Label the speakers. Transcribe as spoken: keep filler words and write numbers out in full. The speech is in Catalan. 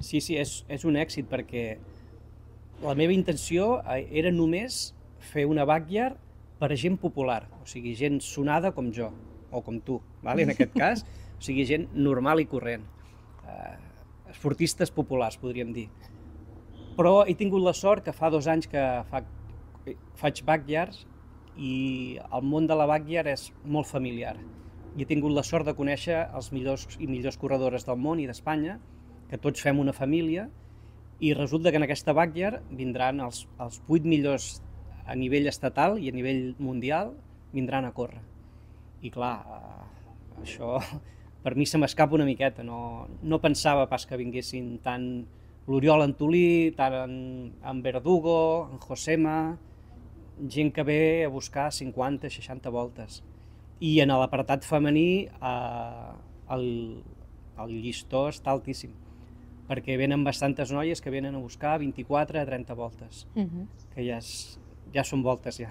Speaker 1: Sí, sí, és, és un èxit perquè la meva intenció era només fer una backyard per a gent popular, o sigui, gent sonada com jo, o com tu, vale? En aquest cas, o sigui, gent normal i corrent, eh, esportistes populars, podríem dir. Però he tingut la sort que fa dos anys que fa, faig backyards i el món de la backyard és molt familiar. I he tingut la sort de conèixer els millors i millors corredores del món i d'Espanya, que tots fem una família, i resulta que en aquesta backyard vindran els, els vuit millors a nivell estatal i a nivell mundial, vindran a córrer. I clar, eh, això per mi se m'escapa una miqueta, no, no pensava pas que vinguessin tant l'Oriol Antolí, tant en, en Verdugo, en Josema, gent que ve a buscar cinquanta seixanta voltes. I en l'apartat femení eh, el, el llistó està altíssim, perquè venen bastantes noies que venen a buscar vint-i-quatre a trenta voltes, uh-huh. que ja, és, ja són voltes ja.